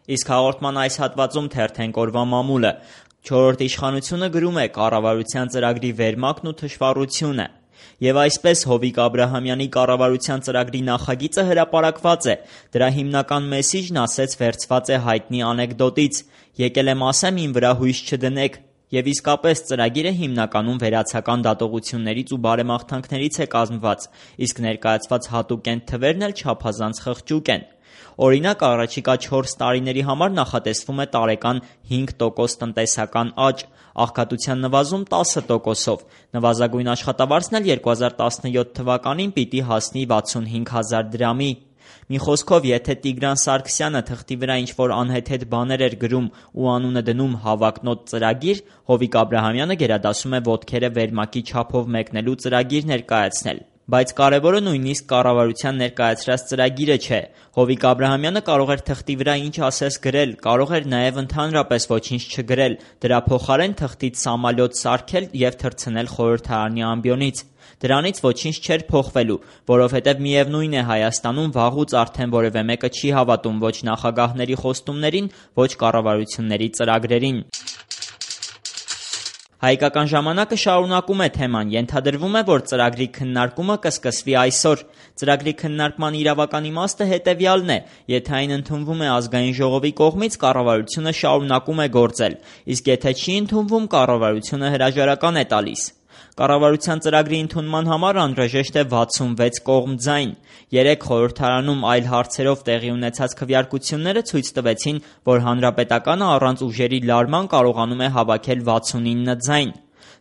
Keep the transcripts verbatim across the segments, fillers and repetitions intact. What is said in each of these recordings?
Իսկ հաղորդման այս հատվածում թերթենք օրվա մամուլը։ Չորրորդ իշխանությունը գրում է կառավարության ծրագրի վերմակն ու թշվառությունը։ Եվ այսպես Հովիկ Աբրահամյանի կառավարության ծրագրի նախագիծը հրապարակված է։ Դրա հիմնական մեսիջն ասեց վերցված է հայտնի անեկդոտից. «Եկել եմ ասեմ, իմ վրա հույս չդնեք»։ Եվ իսկապես ծրագիրը հիմնականում վերացական դատողություններից ու բարեմաղթանքներից է կազմված, իսկ ներկայացված հատուկ թվերն էլ չափազանց խղճուկ են։ Օրինակ, առաջիկա չորս տարիների համար նախատեսվում է տարեկան հինգ տոկոս տնտեսական աճ, աղքատության նվազում տասը տոկոսով։ Նվազագույն աշխատավարձն էլ երկու հազար տասնյոթ թվականին պիտի հասնի վաթսունհինգ հազար դրամի։ Մի խոսքով, եթե Տիգրան Սարգսյանը թղթի վրա ինչ-որ անհեթեթ բաներ էր գրում ու անունը դնում հավակնոտ ծրագիր, Հովիկ Աբրահամյանը գերադասում է ոտքերը վերմակի չափով մեկնելու ծրագիր ներկայացնել։ Բայց կարևորը նույնիսկ կառավարության ներկայացրած ծրագիրը չէ։ Հովիկ Աբրահամյանը կարող էր թղթի վրա ինչ ասես գրել, կարող էր նաև ընդհանրապես ոչինչ չգրել, դրա փոխարեն թղթից սամալյոտ սարքել և թռցնել խորհրդարանի ամբիոնից։ Դրանից ոչինչ չէր փոխվելու, որովհետև միևնույն է Հայաստանում վաղուց արդեն որևէ մեկը չի հավատում ոչ նախագահների խոստումներին, ոչ կառավարությունների ծրագրերին։ Հայկական ժամանակը շարունակում է թեման, ենթադրվում է, որ ծրագրի քննարկումը կսկսվի այսօր։ Ծրագրի քննարկման իրավական իմաստը հետևյալն է. եթե այն ընդունվում է Ազգային ժողովի կողմից, կառավարությունը շարունակում է գործել, իսկ եթե չի ընդունվում, կառավարությունը հրաժարական է տալիս։ Կառավարության ծրագրի ընդունման համար անհրաժեշտ է վաթսունվեց կողմ ձայն։ Երեկ խորհրդարանում այլ հարցերով տեղի ունեցած քվեարկությունները ցույց տվեցին, որ Հանրապետականը առանց ուժերի լարման կարողանում է հավաքել վաթսունինը ձայն։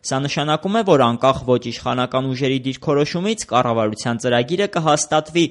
Սա նշանակում է, որ անկախ ոչ իշխանական ուժերի դիրքորոշումից կառավարության ծրագիրը կհաստատվի։